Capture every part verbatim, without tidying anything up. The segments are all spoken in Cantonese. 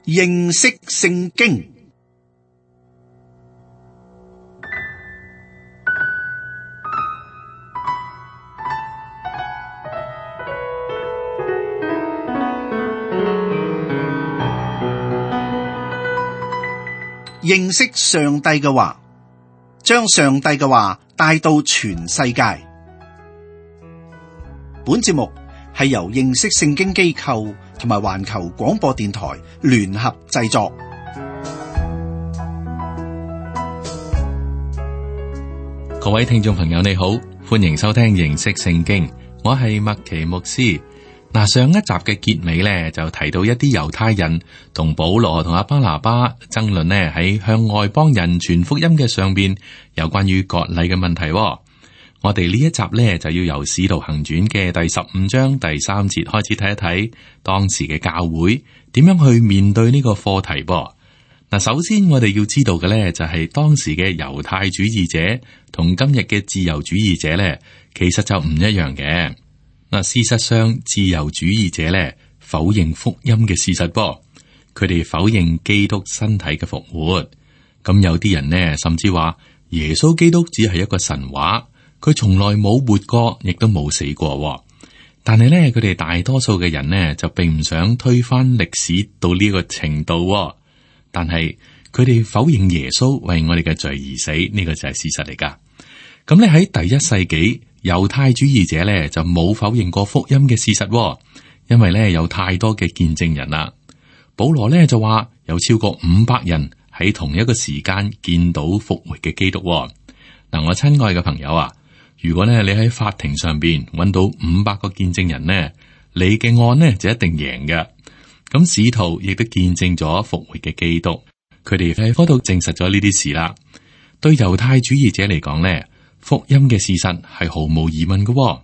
認識聖經。認識上帝嘅話，將上帝嘅話帶到全世界。本節目係由認識聖經機構同埋環球廣播電台聯合製作。各位聽眾朋友你好，歡迎收聽認識聖經，我係麥奇牧師。嗱，上一集嘅結尾咧就提到一啲猶太人同保羅同阿巴拿巴爭論呢喺向外邦人傳福音嘅上邊有關於割禮嘅問題。我哋呢一集咧就要由使徒行傳嘅第十五章第三節開始睇一睇當時嘅教會點樣去面對呢個課題噃。嗱，首先我哋要知道嘅咧就係當時嘅猶太主義者同今日嘅自由主義者咧，其實就唔一樣嘅。嗱，事實上，自由主義者咧否認福音嘅事實噃，佢哋否認基督身體嘅復活。咁有啲人呢，甚至話耶穌基督只係一個神話，佢從來冇活過，亦都冇死過。但係咧，佢哋大多數嘅人呢，就並唔想推翻歷史到呢個程度。但係佢哋否認耶穌為我哋嘅罪而死，呢個就係事實嚟噶。咁咧喺第一世紀，猶太主義者咧就冇否認過福音嘅事實，因為咧有太多嘅見證人啦。保羅咧就話有超過五百人喺同一個時間見到復活嘅基督。嗱，我親愛嘅朋友啊，如果咧你喺法庭上邊揾到五百個見證人呢，你嘅案呢就一定贏嘅。咁使徒亦都見證咗復活嘅基督，佢哋喺嗰度證實咗呢啲事啦。對猶太主義者嚟講咧，福音嘅事實係毫無疑問嘅，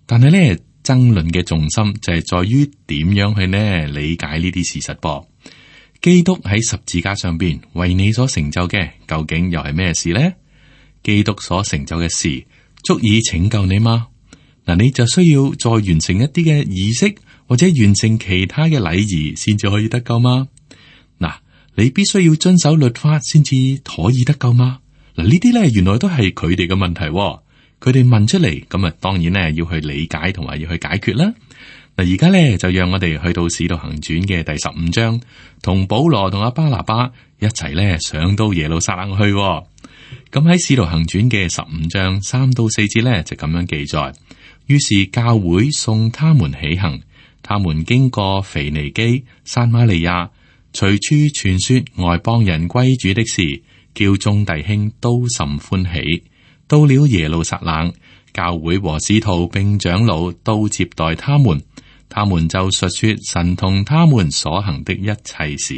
但係咧爭論嘅重心就係在於點樣去呢理解呢啲事實噃。基督喺十字架上邊為你所成就嘅，究竟又係咩事呢？基督所成就嘅事足以拯救你嗎？嗱，你就需要再完成一啲嘅儀式，或者完成其他嘅禮儀，先至可以得救嗎？嗱，你必須要遵守律法先至可以得救嗎？嗱，呢啲咧原來都係佢哋嘅問題，佢哋問出嚟，咁啊，當然咧要去理解同埋要去解決啦。嗱，而家咧就讓我哋去到使徒行傳嘅第十五章，同保羅同阿巴拿巴一齊咧上到耶路撒冷去。咁喺使徒行傳嘅十五章三到四節咧就咁樣記載，於是教會送他們起行，他們經過腓尼基、撒瑪利亞，隨處傳說外邦人歸主的事，叫眾弟兄都甚歡喜。到了耶路撒冷，教會和使徒並長老都接待他們，他們就述說神同他們所行的一切事。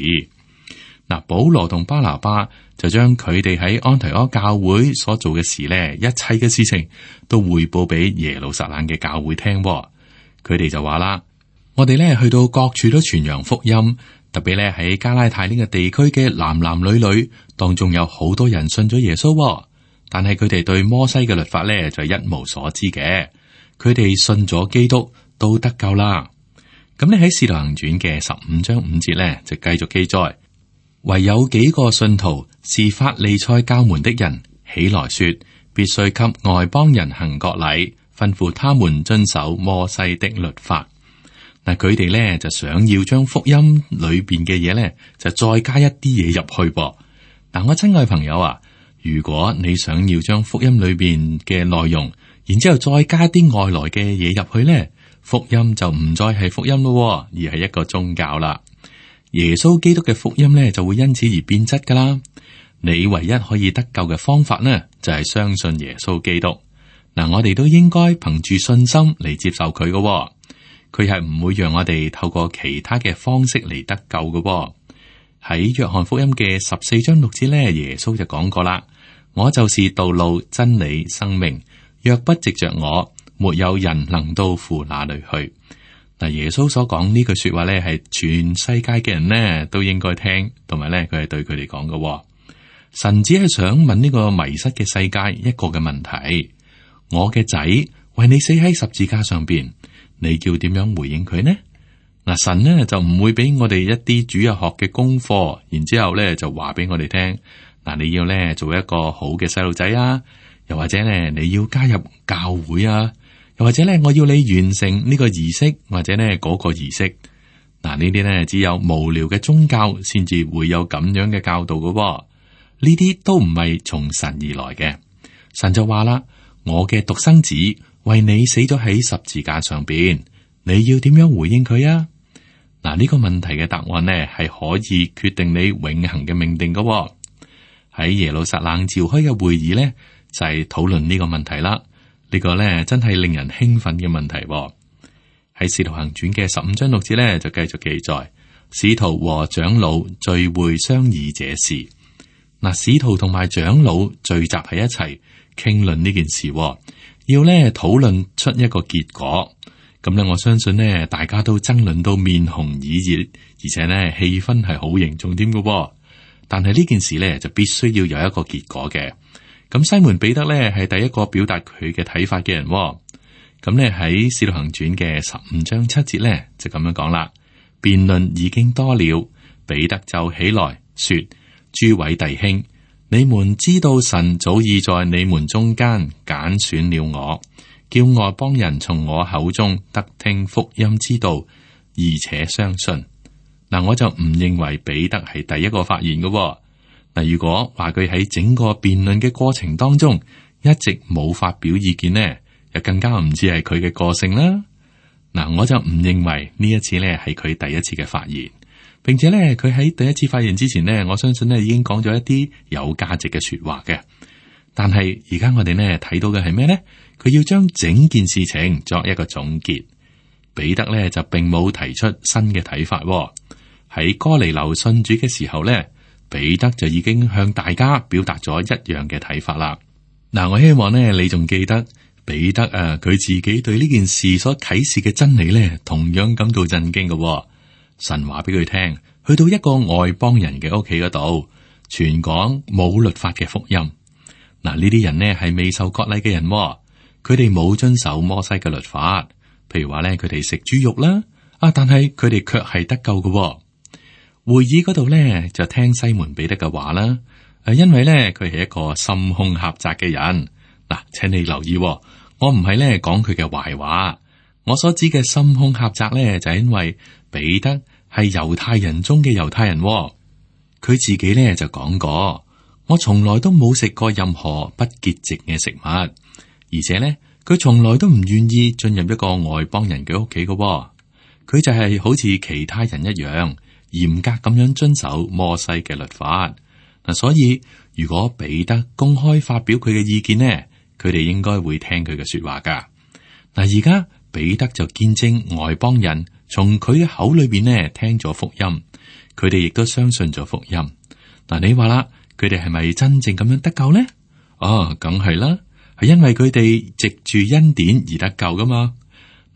嗱，保羅同巴拿巴就將佢哋喺安提阿教會所做嘅事呢，一切嘅事情都匯報俾耶路撒冷嘅教會聽。佢哋就話啦：我哋呢去到各處都傳揚福音。特別咧喺加拉太呢個地區嘅男男女女當中，有好多人信咗耶穌，但係佢哋對摩西嘅律法咧就一無所知嘅。佢哋信咗基督都得救啦。咁你喺使徒行傳嘅十五章五節咧就繼續記載，唯有幾個信徒是法利賽教門的人起來說，必須給外邦人行割禮，吩咐他們遵守摩西的律法。嗱，佢哋咧就想要將福音裏邊嘅嘢咧，就再加一啲嘢入去噃。嗱，我親愛朋友啊，如果你想要將福音裏邊嘅內容，然之後再加啲外來嘅嘢入去咧，福音就唔再係福音咯，而係一個宗教啦。耶穌基督嘅福音咧就會因此而變質噶啦。你唯一可以得救嘅方法呢，就係相信耶穌基督。嗱，我哋都應該憑住信心嚟接受佢噶。佢係唔會讓我哋透過其他嘅方式嚟得救嘅。喺約翰福音嘅十四章六節咧，耶穌就講過啦：我就是道路、真理、生命，若不藉着我，沒有人能到父那裏去。嗱，耶穌所講呢句說話咧，係全世界嘅人呢都應該聽，同埋咧佢係對佢哋講嘅。神只係想問呢個迷失嘅世界一個嘅問題：我嘅仔為你死喺十字架上邊，你叫點樣回應佢呢？嗱，神呢就唔會俾我哋一啲主日學嘅功課，然之後咧就話俾我哋聽，嗱，你要咧做一個好嘅細路仔啊，又或者咧你要加入教會啊，又或者咧我要你完成呢個儀式或者咧嗰個儀式。嗱，呢啲咧只有無聊嘅宗教先至會有咁樣嘅教導嘅喎，呢啲都唔係從神而來嘅。神就話啦，我嘅獨生子為你死咗喺十字架上邊，你要點樣回應佢啊？嗱，呢個問題嘅答案呢係可以決定你永恆嘅命定嘅喎。喺耶路撒冷召開嘅會議呢，就係討論呢個問題啦。呢個呢真係令人興奮嘅問題喎。喺《使徒行傳》嘅十五章六節咧，就繼續記載使徒和長老聚會商議這事。嗱，使徒同埋長老聚集喺一齊傾論呢件事，要咧討論出一個結果。咁咧，我相信呢，大家都爭論到面紅耳熱，而且呢氣氛係好凝重添嘅。但係呢件事呢，就必須要有一個結果嘅。咁西門彼得呢，係第一個表達佢嘅睇法嘅人。咁咧喺《使徒行傳》嘅十五章七節咧就咁樣講啦，辯論已經多了，彼得就起來說：諸位弟兄，你們知道神早已在你們中間揀選了我，叫外邦人從我口中得聽福音之道，而且相信。嗱，我就唔認為彼得係第一個發言嘅。嗱，如果話佢喺整個辯論嘅過程當中一直冇發表意見呢，又更加唔似係佢嘅個性啦。嗱，我就唔認為呢一次咧係佢第一次嘅發言，並且咧佢喺第一次發言之前呢，我相信咧已經講咗一啲有價值嘅說話嘅。但係而家我哋呢睇到嘅係咩呢？佢要將整件事情作一個總結。彼得咧就並冇提出新嘅睇法。喺哥尼流信主嘅時候咧，彼得就已經向大家表達咗一樣嘅睇法啦。嗱，我希望呢，你仲記得。彼得啊，佢自己對呢件事所啟示嘅真理咧，同樣感到震驚嘅、哦。神話俾佢聽，去到一個外邦人嘅屋企嗰度，傳講冇律法嘅福音。嗱，呢啲人呢係未受割禮嘅人、哦，佢哋冇遵守摩西嘅律法。譬如話咧，佢哋食豬肉啦，啊，但係佢哋卻係得救嘅、哦。會議嗰度咧就聽西門彼得嘅話啦，誒，因為咧佢係一個心胸狹窄嘅人。嗱，請你留意、哦。我唔係咧講佢嘅壞話，我所指嘅心胸狹窄咧，就係因為彼得係猶太人中嘅猶太人、哦，佢自己咧就講過，我從來都冇食過任何不潔淨嘅食物，而且咧佢從來都唔願意進入一個外邦人嘅屋企嘅，佢就係好似其他人一樣嚴格咁樣遵守摩西嘅律法。嗱，所以如果彼得公開發表佢嘅意見呢，佢哋應該會聽佢嘅說話噶。嗱，而家彼得就見證外邦人從佢嘅口裏邊呢聽咗福音，佢哋亦都相信咗福音。嗱，你話啦，佢哋係咪真正咁樣得救呢？哦，梗係啦，係因為佢哋藉住恩典而得救噶嘛。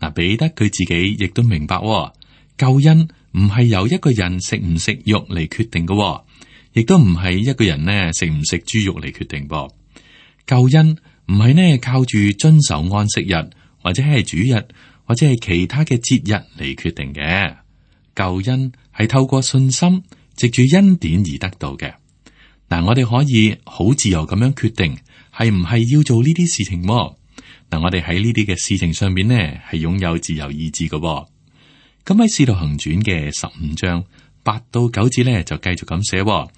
嗱，彼得佢自己亦都明白、哦，救恩唔係由一個人食唔食肉嚟決定噶、哦，亦都唔係一個人呢食唔食豬肉嚟決定噃。救恩唔係呢靠住遵守安息日或者係主日或者係其他嘅節日嚟決定嘅，救恩係透過信心藉住恩典而得到嘅。嗱，我哋可以好自由咁樣決定係唔係要做呢啲事情。嗱，我哋喺呢啲嘅事情上面呢係擁有自由意志嘅。咁喺《使徒行傳》嘅十五章八到九節呢就繼續咁寫，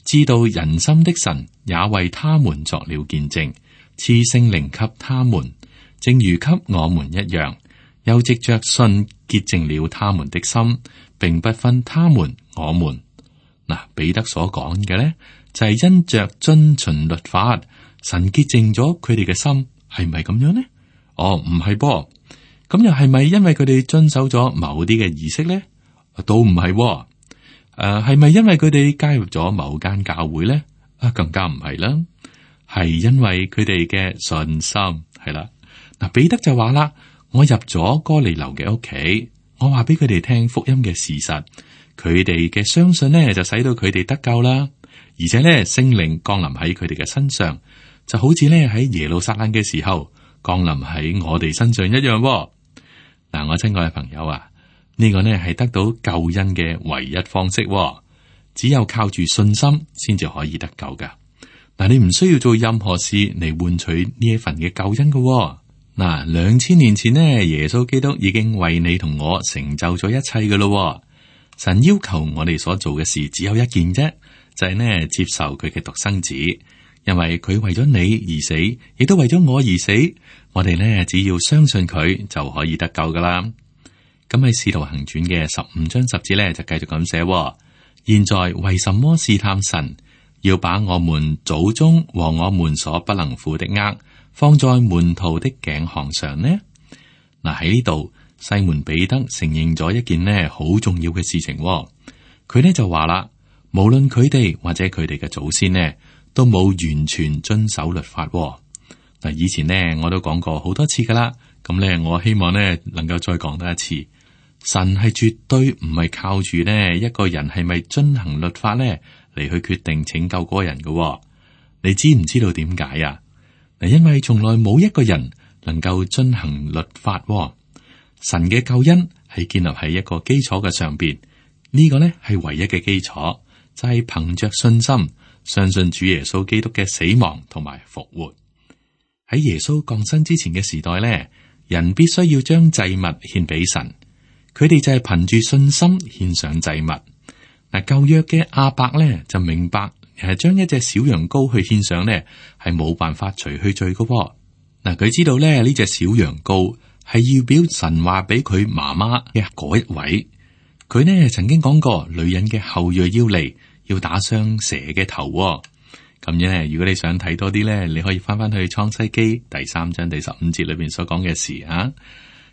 知道人心的神也為他們作了見證，賜聖靈給他們，正如給我們一樣，又藉着信潔淨了他們的心，並不分他們我們。嗱，彼得所講嘅呢，就係、是、因着遵循律法，神潔淨咗佢哋嘅心，係咪咁樣呢？哦，唔係噃，咁又係咪因為佢哋遵守咗某啲嘅儀式呢？都唔係。誒、呃，係咪因為佢哋加入咗某間教會呢？啊，更加唔係啦。係因為佢哋嘅信心，係啦。嗱，彼得就話啦，我入咗哥尼流嘅屋企，我話俾佢哋聽福音嘅事實，佢哋嘅相信呢，就使到佢哋得救啦。而且呢，聖靈降臨喺佢哋嘅身上，就好似呢喺耶路撒冷嘅時候降臨喺我哋身上一樣。嗱，我親愛嘅朋友啊，呢個呢係得到救恩嘅唯一方式，只有靠住信心先至可以得救噶。嗱，你唔需要做任何事嚟換取呢一份嘅救恩噶。嗱，兩千年前呢，耶穌基督已經為你同我成就咗一切噶咯。神要求我哋所做嘅事只有一件啫，就係呢接受佢嘅獨生子，因為佢為咗你而死，亦都為咗我而死。我哋呢只要相信佢就可以得救噶啦。咁喺《使徒行傳》嘅十五章十節呢，就繼續咁寫：現在為什麼試探神，要把我們祖宗和我們所不能負的軛放在門徒的頸項上呢？嗱，喺呢度，西門彼得承認咗一件呢好重要嘅事情。佢呢就話啦，無論佢哋或者佢哋嘅祖先呢，都冇完全遵守律法。嗱，以前呢我都講過好多次噶啦，咁呢我希望呢能夠再講多一次。神係絕對唔係靠住呢一個人係咪遵行律法呢嚟去決定拯救嗰個人嘅。你知唔知道點解啊？嗱，因為從來冇一個人能夠遵行律法。神嘅救恩係建立喺一個基礎嘅上邊，呢個呢係唯一嘅基礎，就係憑着信心相信主耶穌基督嘅死亡同埋復活。喺耶穌降生之前嘅時代呢，人必須要將祭物獻俾神。佢哋就係憑住信心獻上祭物。嗱，舊約嘅亞伯咧就明白，係將一隻小羊羔去獻上咧，係冇辦法除去罪噶。嗱，佢知道咧呢隻小羊羔係要表神話俾佢媽媽嘅嗰一位。佢呢曾經講過，女人嘅後裔要嚟，要打傷蛇嘅頭。咁樣咧，如果你想睇多啲咧，你可以翻翻去創世記第三章第十五節裏邊所講嘅事啊。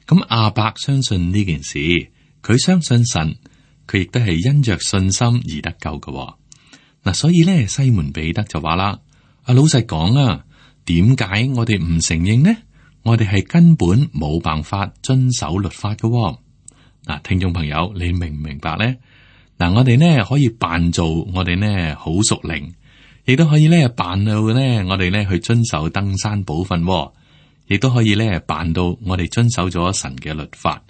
咁亞伯相信呢件事，佢相信神，佢亦都係因着信心而得救嘅。嗱，所以咧，西門彼得就話啦：啊，老實講啊，點解我哋唔承認呢？我哋係根本冇辦法遵守律法嘅。嗱，聽眾朋友，你明唔明白咧？嗱，我哋呢可以扮做我哋呢好屬靈，亦都可以咧扮到咧我哋咧去遵守登山寶訓。亦都可以咧辦到我哋遵守咗神嘅律法，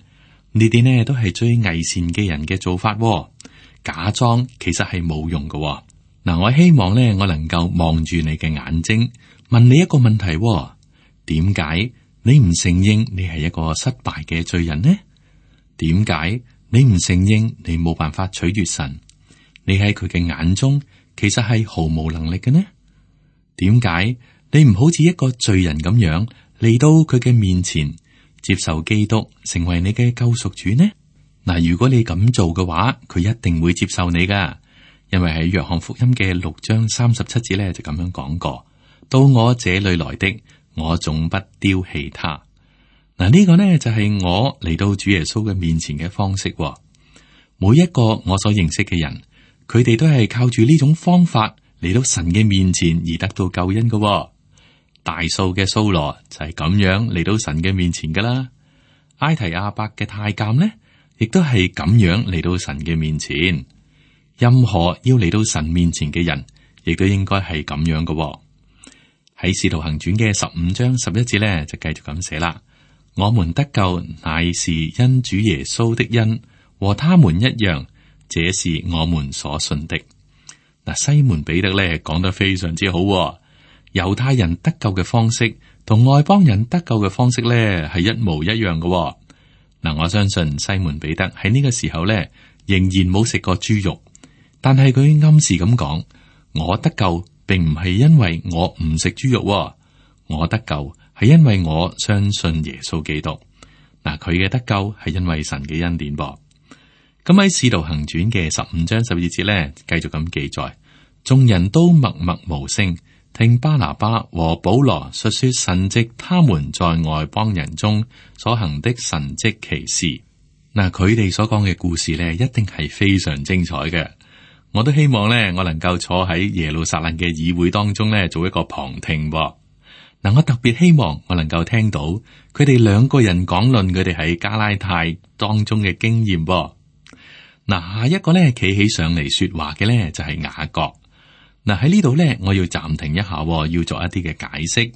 呢啲呢都係最偽善嘅人嘅做法。假裝其實係冇用嘅。嗱，我希望呢，我能夠望住你嘅眼睛，問你一個問題：點解你唔承認你係一個失敗嘅罪人呢？點解你唔承認你冇辦法取悅神？你喺佢嘅眼中其實係毫無能力嘅呢？點解你唔好似一個罪人咁樣嚟到佢嘅面前，接受基督成為你嘅救贖主呢？嗱，如果你咁做嘅話，佢一定會接受你噶，因為喺約翰福音嘅六章三十七節咧就咁樣講過：到我這裏來的，我總不丟棄他。嗱，呢個呢就係我嚟到主耶穌嘅面前嘅方式。每一個我所認識嘅人，佢哋都係靠住呢種方法嚟到神嘅面前而得到救恩噶。大數嘅掃羅就係咁樣嚟到神嘅面前噶啦，埃提亞伯嘅太監呢，亦都係咁樣嚟到神嘅面前。任何要嚟到神面前嘅人，亦都應該係咁樣噶。喺使徒行傳嘅十五章十一節呢，就繼續咁寫啦：我們得救乃是因主耶穌的恩，和他們一樣，這是我們所信的。嗱，西門彼得咧講得非常之好。猶太人得救嘅方式同外邦人得救嘅方式咧係一模一樣嘅。嗱，我相信西門彼得喺呢個時候咧仍然冇食過豬肉，但係佢暗示咁講：我得救並唔係因為我唔食豬肉，我得救係因為我相信耶穌基督。嗱，佢嘅得救係因為神嘅恩典噃。咁喺使徒行傳嘅十五章十二節咧，繼續咁記載：眾人都默默無聲，聽巴拿巴和保羅述說神藉他們在外邦人中所行的神蹟奇事。嗱，佢哋所講嘅故事咧，一定係非常精彩嘅。我都希望咧，我能夠坐喺耶路撒冷嘅議會當中咧，做一個旁聽。嗱，我特別希望我能夠聽到佢哋兩個人講論佢哋喺加拉太當中嘅經驗。嗱，下一個咧企起上嚟說話嘅咧就係雅各。嗱，喺呢度咧，我要暫停一下，要做一啲嘅解釋。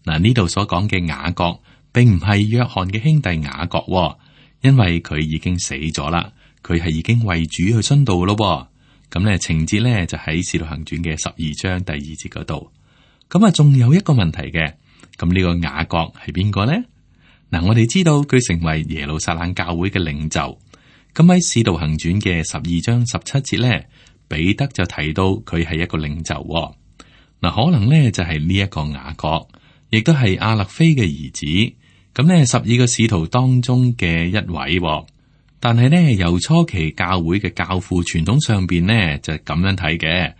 嗱，呢度所講嘅雅各，並唔係約翰嘅兄弟雅各，因為佢已經死咗啦，佢係已經為主去殉道咯。咁咧情節咧就喺《使徒行傳》嘅十二章第二節嗰度。咁啊，仲有一個問題嘅，咁呢個雅各係邊個呢？嗱，我哋知道佢成為耶路撒冷教會嘅領袖。咁喺《使徒行傳》嘅十二章十七節咧，彼得就提到佢係一個領袖。嗱，可能咧就係呢一個雅各，亦都係亞勒腓嘅兒子。咁咧十二個使徒當中嘅一位。但係咧，由初期教會嘅教父傳統上邊呢，就咁樣睇嘅。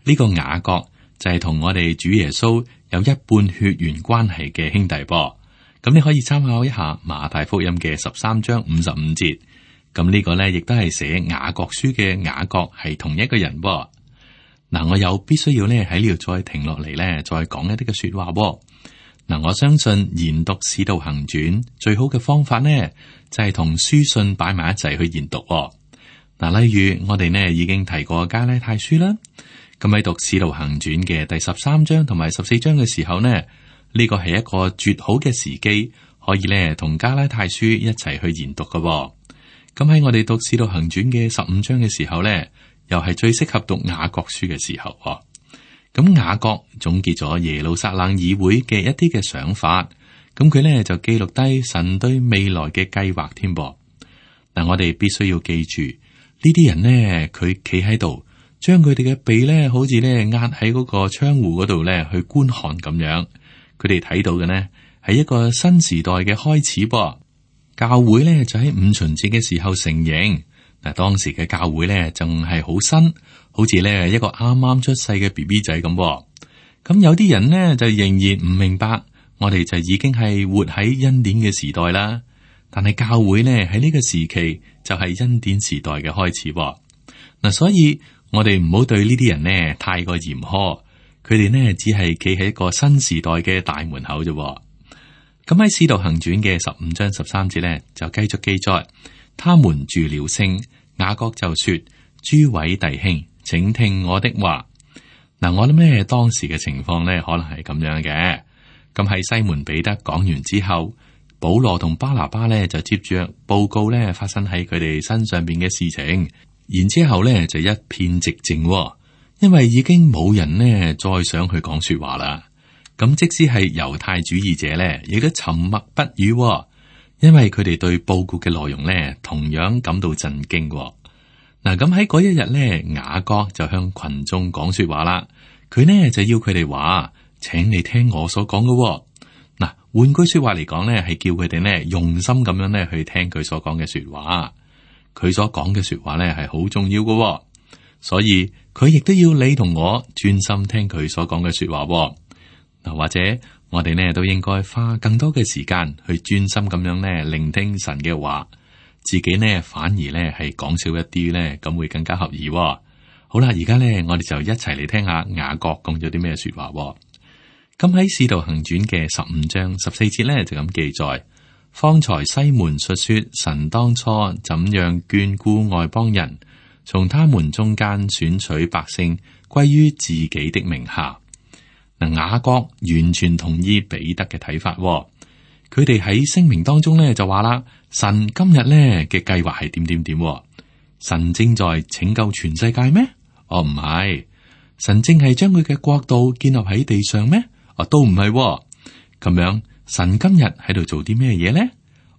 呢個雅各就係同我哋主耶穌有一半血緣關係嘅兄弟噃。咁你可以參考一下馬太福音嘅十三章五十五節。咁呢個呢，亦都係寫雅各書嘅雅各係同一個人噃。嗱，我有必須要呢喺呢度再停落嚟呢，再講一啲嘅說話噃。嗱，我相信研讀使徒行傳最好嘅方法呢，就係同書信擺埋一齊去研讀。嗱，例如我哋呢已經提過加拉太書啦，咁喺讀使徒行傳嘅第十三章同埋十四章嘅時候呢，呢個係一個絕好嘅時機，可以呢同加拉太書一齊去研讀嘅。咁喺我哋讀使徒行傳嘅十五章嘅時候呢，又係最適合讀雅各書嘅時候。咁雅各總結咗耶路撒冷議會嘅一啲嘅想法，咁佢咧就記錄低神對未來嘅計劃添噃。嗱，我哋必須要記住呢啲人呢，佢企喺度，將佢哋嘅鼻咧，好似咧壓喺嗰個窗戶嗰度咧去觀看咁樣。佢哋睇到嘅呢係一個新時代嘅開始噃。教會咧就喺五旬節嘅時候成形。嗱，當時嘅教會咧仲係好新。好似咧一個啱啱出世嘅 B B 仔咁，咁有啲人呢，就仍然唔明白，我哋就已經係活喺恩典嘅時代啦。但係教會呢，喺呢個時期就係恩典時代嘅開始。嗱，所以我哋唔好對呢啲人呢太過嚴苛，佢哋呢，只係企喺一個新時代嘅大門口啫。咁喺《使徒行傳》嘅十五章十三節呢，就繼續記載，他們住了聲，雅各就說：諸位弟兄，請聽我的話。嗱，我諗咧當時嘅情況咧，可能係咁樣嘅。咁喺西門彼得講完之後，保羅同巴拿巴咧就接住報告咧發生喺佢哋身上邊嘅事情，然之後咧就一片寂靜，因為已經冇人呢再想去講說話啦。咁即使係猶太主義者咧，亦都沉默不語，因為佢哋對報告嘅內容咧同樣感到震驚。嗱，咁喺嗰一日咧，雅各就向群眾講說話啦。佢呢就要佢哋話，請你聽我所講嘅。嗱，換句說話嚟講咧，係叫佢哋呢用心咁樣咧去聽佢所講嘅說話。佢所講嘅說話咧係好重要嘅，所以佢亦都要你同我專心聽佢所講嘅說話。嗱，或者我哋呢都應該花更多嘅時間去專心咁樣咧聆聽神嘅話。自己呢反而呢係講少一啲呢，咁會更加合意。好啦，而家呢我哋就一齊嚟聽下雅各講咗啲咩說話。咁喺《使徒行傳》嘅十五章十四節呢，就咁記載：方才西門述說神當初怎樣眷顧外邦人，從他們中間選取百姓歸於自己的名下。嗱，雅各完全同意彼得嘅睇法。佢哋喺聲明當中呢，就話啦。神今日咧嘅計劃係點點點？神正在拯救全世界咩？哦，唔係，神正係將佢嘅國度建立喺地上咩？哦，都唔係。咁樣，神今日喺度做啲咩嘢咧？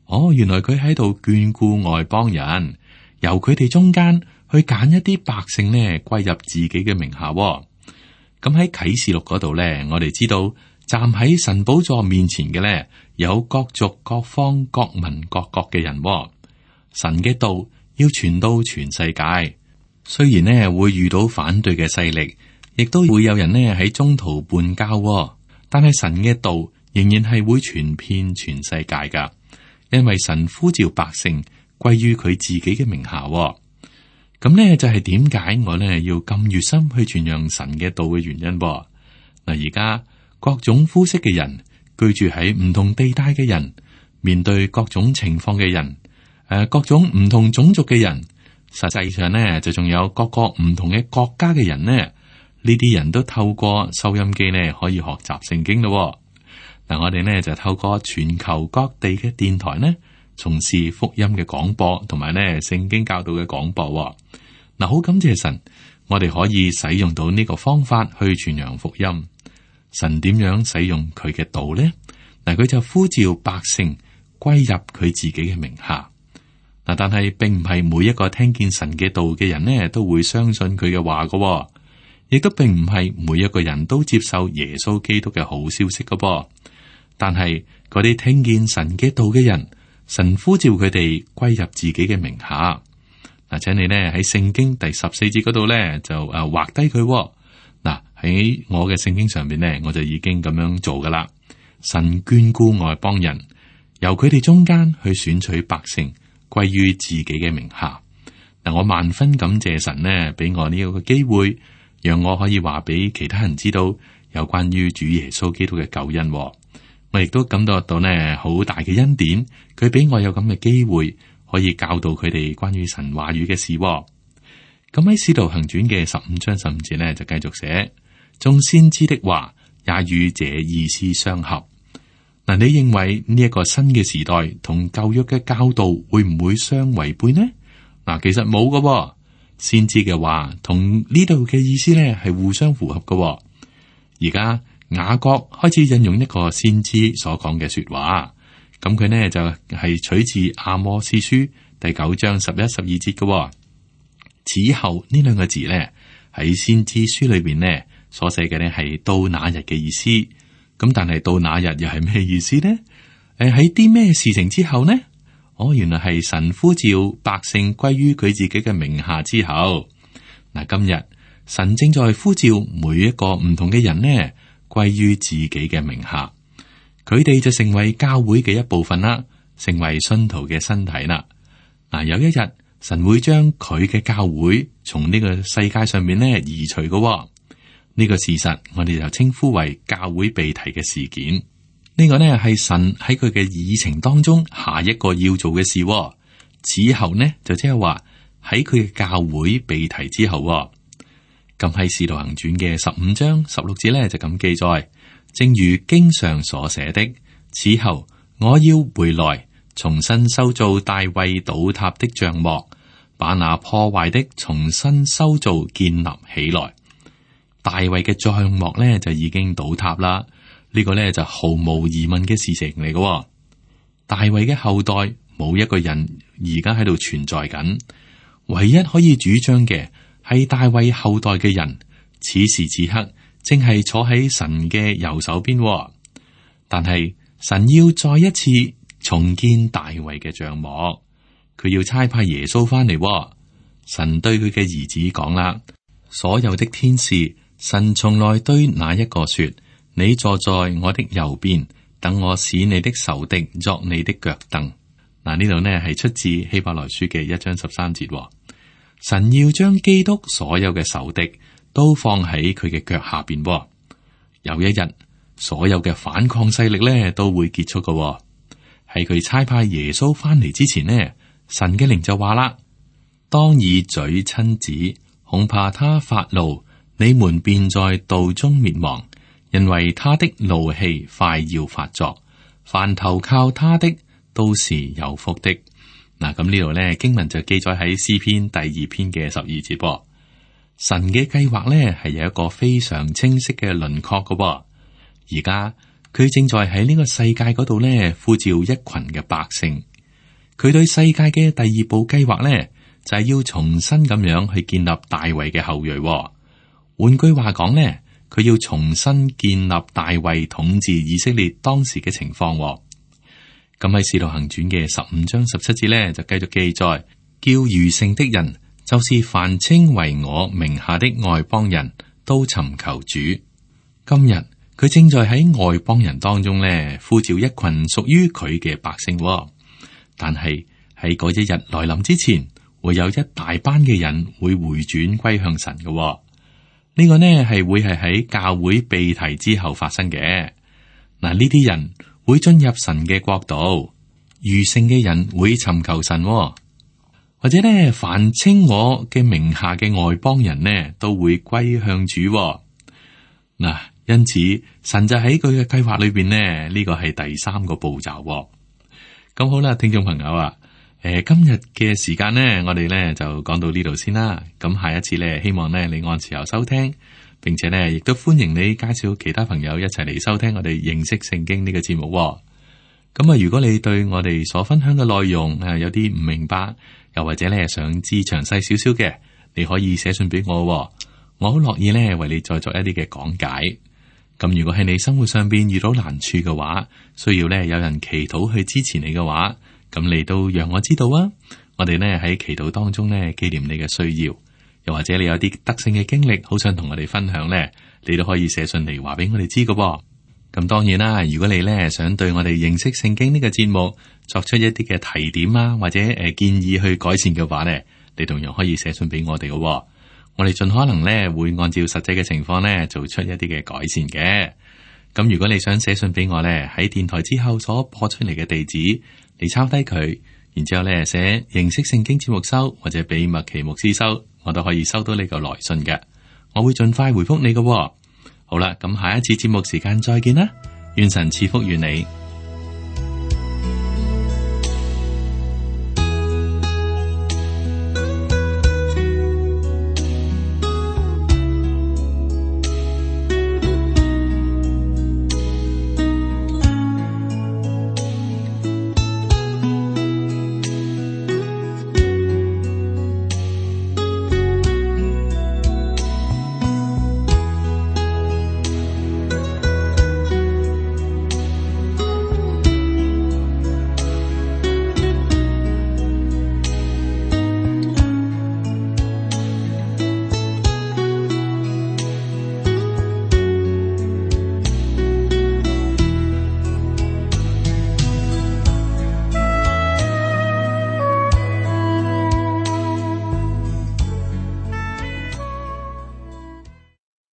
哦，原來佢喺度眷顧外邦人，由佢哋中間去揀一啲百姓咧歸入自己嘅名下。咁喺啟示錄嗰度咧，我哋知道。站喺神寶座面前嘅咧，有各族、各方、各民、各國嘅人。神嘅道要傳到全世界，雖然呢會遇到反對嘅勢力，亦都會有人呢喺中途叛教，但係神嘅道仍然係會傳遍全世界噶，因為神呼召百姓歸於佢自己嘅名下。咁呢就係點解我呢要咁熱心去傳揚神嘅道嘅原因。嗱，而家。各種膚色嘅人，居住喺唔同地帶嘅人，面對各種情況嘅人，誒、呃，各種唔同種族嘅人，實際上呢，就仲有各個唔同嘅國家嘅人呢。呢啲人都透過收音機呢，可以學習聖經咯。嗱，我哋呢就透過全球各地嘅電台呢，從事福音嘅廣播，同埋咧聖經教導嘅廣播。嗱，好感謝神，我哋可以使用到呢個方法去傳揚福音。神點樣使用佢嘅道呢？嗱，佢就呼召百姓歸入佢自己嘅名下。嗱，但係並唔係每一個聽見神嘅道嘅人呢，都會相信佢嘅話噶，亦都並唔係每一個人都接受耶穌基督嘅好消息噶噃。但係嗰啲聽見神嘅道嘅人，神呼召佢哋歸入自己嘅名下。嗱，請你呢喺聖經第十四節嗰度呢，就誒畫低佢。嗱，喺我嘅聖經上邊呢，我就已經咁樣做噶啦。神眷顧外邦人，由佢哋中間去選取百姓歸於自己嘅名下。嗱，我萬分感謝神呢，俾我呢一個機會，讓我可以話俾其他人知道有關於主耶穌基督嘅救恩。我亦都感覺到呢好大嘅恩典，佢俾我有咁嘅機會。可以教導佢哋關於神話語嘅事。咁喺《使徒行傳》嘅十五章十五節呢，就繼續寫：眾先知的話也與這意思相合。嗱，你認為呢一個新嘅時代同舊約嘅教導會唔會相違背呢？嗱，其實冇噶，先知嘅話同呢度嘅意思呢係互相符合噶。而家雅各開始引用一個先知所講嘅說話。咁佢呢就係、是、取自阿摩司書第九章十一、十二節嘅。此後呢兩個字呢喺先知書裏邊呢所寫嘅呢係到那日嘅意思。咁但係到那日又係咩意思呢？誒，喺啲咩事情之後呢？哦，原來係神呼召百姓歸於佢自己嘅名下之後。嗱，今日神正在呼召每一個唔同嘅人呢歸於自己嘅名下。佢哋就成為教會嘅一部分啦，成為信徒嘅身體啦。嗱，有一日神會將佢嘅教會從呢個世界上面咧移除嘅。呢、這個事實我哋就稱呼為教會被提嘅事件。呢、這個呢係神喺佢嘅議程當中下一個要做嘅事。此後呢就即係話喺佢嘅教會被提之後。咁喺《使徒行傳》嘅十五章十六節咧就咁記載。正如經上所寫的，此後我要回來，重新修造大衛倒塌的帳幕，把那破壞的重新修造建立起來。大衛嘅帳幕咧就已經倒塌啦，呢個咧就毫無疑問嘅事情嚟嘅。大衛嘅後代冇一個人而家喺度存在緊，唯一可以主張嘅係大衛後代嘅人，此時此刻正係坐喺神嘅右手邊。但係神要再一次重建大衛嘅帳幕，佢要差派耶穌翻嚟。神對佢嘅兒子講啦：所有的天使，神從來對哪一個說，你坐在我的右邊，等我使你的仇敵作你的腳凳。嗱，呢度呢係出自希伯來書嘅一章十三節。神要將基督所有嘅仇敵都放喺佢嘅腳下邊。有一日，所有嘅反抗勢力咧都會結束嘅。喺佢差派耶穌翻嚟之前呢，神嘅靈就話啦：當以嘴親子，恐怕他發怒，你們便在道中滅亡，因為他的怒氣快要發作。凡投靠他的，都是有福的。嗱，咁呢度咧經文就記載喺詩篇第二篇嘅十二節噃。神嘅計劃咧係有一個非常清晰嘅輪廓嘅。而家佢正在喺呢個世界嗰度咧呼召一群嘅百姓。佢對世界嘅第二步計劃咧就係要重新咁樣去建立大衛嘅後裔。換句話講咧，佢要重新建立大衛統治以色列當時嘅情況。咁喺《使徒行傳》嘅十五章十七節咧，就繼續記載，叫餘剩的人，就是凡稱為我名下的外邦人都尋求主。今日佢正在喺外邦人當中咧，呼召一群屬於佢嘅百姓。但係喺嗰一日來臨之前，會有一大班嘅人會回轉歸向神嘅。呢、這個呢係會係喺教會被提之後發生嘅。嗱，呢啲人會進入神嘅國度，餘剩嘅人會尋求神，或者呢，凡稱我嘅名下嘅外邦人呢，都會歸向主。嗱，因此神就喺佢嘅計劃裏邊呢，呢個係第三個步驟。咁好啦，聽眾朋友啊，誒、呃，今日嘅時間呢，我哋呢就講到呢度先啦。咁下一次呢，希望呢你按時候收聽，並且呢亦都歡迎你介紹其他朋友一齊嚟收聽我哋認識聖經呢個節目。咁啊，如果你對我哋所分享嘅內容誒有啲唔明白，又或者呢想知詳細少少嘅，你可以寫信俾我，我好樂意呢為你再作一啲嘅講解。咁如果喺你生活上邊遇到難處嘅話，需要呢有人祈禱去支持你嘅話，咁你都讓我知道啊！我哋呢喺祈禱當中呢紀念你嘅需要，又或者你有啲得勝嘅經歷，好想同我哋分享呢，你都可以寫信嚟話俾我哋知㗎。咁當然啦，如果你呢想對我哋認識聖經呢個節目作出一啲嘅提點啊，或者誒建議去改善嘅話呢，你同樣可以寫信俾我哋㗎。我哋盡可能咧會按照實際嘅情況咧做出一啲嘅改善嘅。咁如果你想寫信俾我咧，喺電台之後所播出嚟嘅地址，你抄低佢，然之後咧寫認識聖經節目收，或者俾麥奇牧師收，我都可以收到呢個來信嘅。我會盡快回覆你嘅。好啦，咁下一次節目時間再見啦，願神賜福於你。